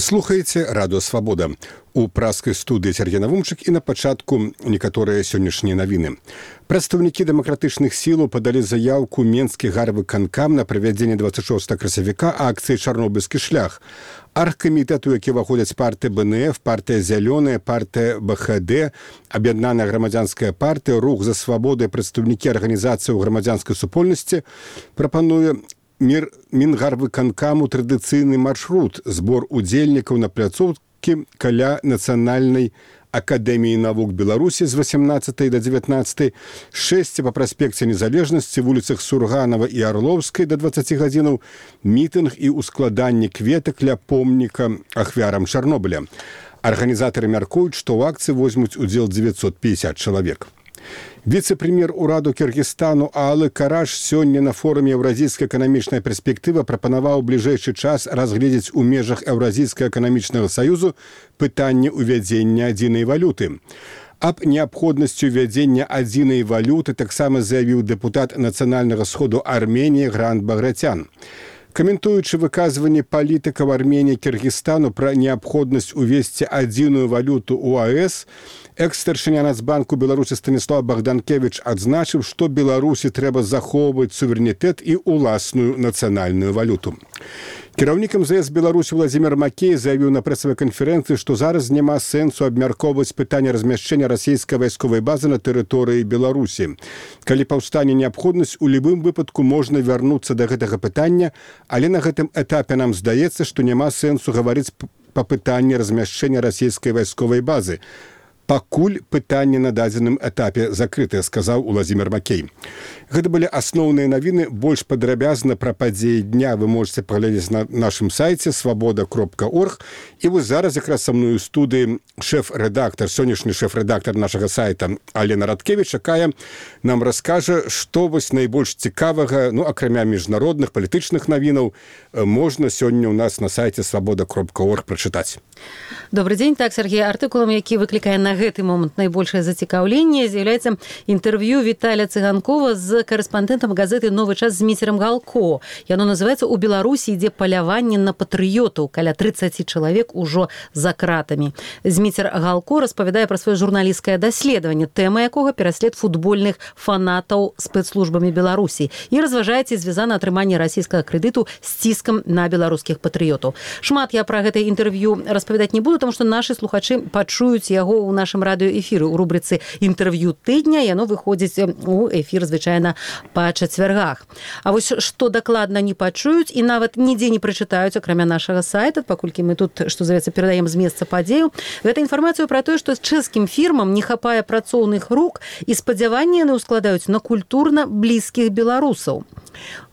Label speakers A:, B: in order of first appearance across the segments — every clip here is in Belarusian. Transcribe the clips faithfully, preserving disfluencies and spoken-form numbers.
A: Вы слухаеце радыё Свабода. У праскай студыі Сергей Навумчык і на пачатку некаторыя сённяшнія навіны. Прадстаўнікі дэмакратычных сілаў падалі заяўку Менскі гарвыканкам на правядзенне дваццаць шостага красавіка акцыі «Чарнобыльскі шлях». Аргкамітэту, які ўваходзяць партыя бэ эн эф, партыя «Зялёная», партыя бэ ха дэ, Аб'яднаная грамадзянская партыя, рух за свабоду і прадстаўнікі арганізацыі ў грамадзянскай супольнасці прапануе Мір Мінгарвыканкаму традыцыйны маршрут, збор удзельнікаў на пляцоўкі каля Нацыянальнай акадэміі навук Беларусі з васямнаццатай да дзевятнаццатай, шэсці па праспекце Незалежнасці, вуліцах Сурганава і Арлоўскай да дваццаці гадзінаў, мітынг і ускладанне кветак ля помніка ахвярам Чарнобыля. Арганізатары мяркуюць, што ў акцыі возьмуць удзел дзевяцьсот пятьдесят чалавек. Віцэ-прэм'ер ураду Кыргызстану Аалы Караш сёння на форуме «Еўразійская эканамічная перспектыва» прапанаваў у бліжэйшы час разгледзець у межах Еўразійскага эканамічнага саюзу пытанне ўвядзення адзінай валюты. Аб неабходнасці ўвядзення адзінай валюты таксама заявіў дэпутат Нацыянальнага сходу Арменіі Грант Багратян. Каментуючы выказванне палітыкаў Арменіі і Кыргызстану пра неабходнасць увесці адзіную валюту ў а эс, экс-старшыня Нацбанку Беларусі Станіслав Богданкевич адзначыў, што Беларусі трэба захоўваць суверэнітэт і ўласную нацыянальную валюту. Кіраўнік эм зэ эс Беларусі Владзімір Макей заявіў на прэсавай канферэнцыі, што зараз няма сэнсу абмяркоўваць пытанне размяшчэння расійскай вайсковай базы на тэрыторыі Беларусі. Калі паўстане неабходнасць, у любым выпадку можна вярнуцца да гэтага пытання, але на гэтым этапе нам здаецца, што няма сэнсу гаварыць па пытанні размяшчэння расійскай вайсковай базы. Пакуль пытанне на дадзеным этапе закрытае, сказаў Владзімір Макей. Гэта былі асноўныя навіны. Больш падрабязна пра падзеі дня вы можете паглядзець на нашым сайце свабода кропка орг. І вось зараз якраз са мною ў студыі шэф-рэдактар, сённяшні шэф-рэдактар нашага сайта Алена Радкевіч, якая нам раскажа, што вось найбольш цікавага, ну, акрамя міжнародных палітычных навінаў, можна сёння ў нас на сайце свабода кропка орг прачытаць.
B: Добрый дзень. Так, Сергей, артыкулам, які выклікае на гэты момант найбольшае зацікаўленне, з'яўляецца інтэрв'ю Віталія Цыганкова з карэспандэнтам газеты «Новы час» Зміцерам Галко. Яно называецца «У Беларусі ідзе паляванне на патрыётаў». Каля тридцать чалавек ужо за кратамі. Зміцер Галко распавядае пра сваё журналісцкае даследаванне, тэма якога пераслед футбольных фанатаў спецслужбамі Беларусі, і разважае, ці звязана атрыманне расійскага крэдыту з ціскам на беларускіх патрыётаў. Шмат я пра гэтае інтэрв'ю распавядаць не буду, тому што нашы слухачы пачуюць яго ў нашым радыёэфіры у рубрыцы «Інтэрв'ю тыдня». Яно выходзіць у эфір звычайна па чацвяргах. А вось што дакладна не пачуюць і нават нідзе не прачытаюць, акрамя нашага сайта, паколькі мы тут, што зовецца, перадаем з месца падзею, гэта інфармацыю пра тое, што чэшскім фірмам не хапае працоўных рук і спадзяванні яны ўскладаюць на культурна блізкіх беларусаў.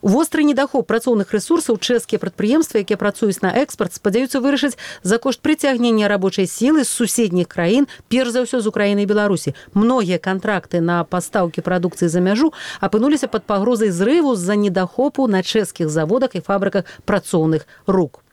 B: Востры недахоп працоўных рэсурсаў чэшскія прадпрыемствы, якія працуюць на экспарт, спадзяюцца вырашыць за кошт прыцягнення рабочай сілы з суседніх краін, перш за ўсё з Украіны і Беларусі. Многія кантракты на пастаўкі прадукцыі за мяжу апынуліся пад пагрозай зрыву з-за недахопу на чэшскіх заводах і фабрыках працоўных рук.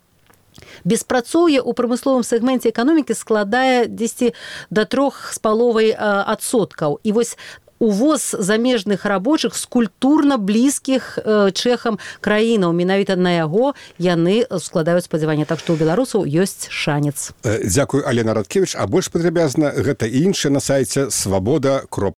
B: Беспрацоўе ў прамысловым сегменце эканомікі складае дзесьці да трох з паловай адсоткаў. І вось увоз замежных рабочых з культурна блізкіх э, чэхам краінаў. Менавіта на яго яны складаюць спадзяванне. Так што ў беларусаў ёсць шанец.
A: Дзякуй, Алена Радкевіч. А больш падрабязна гэта і іншае на сайце свабода кропка орг.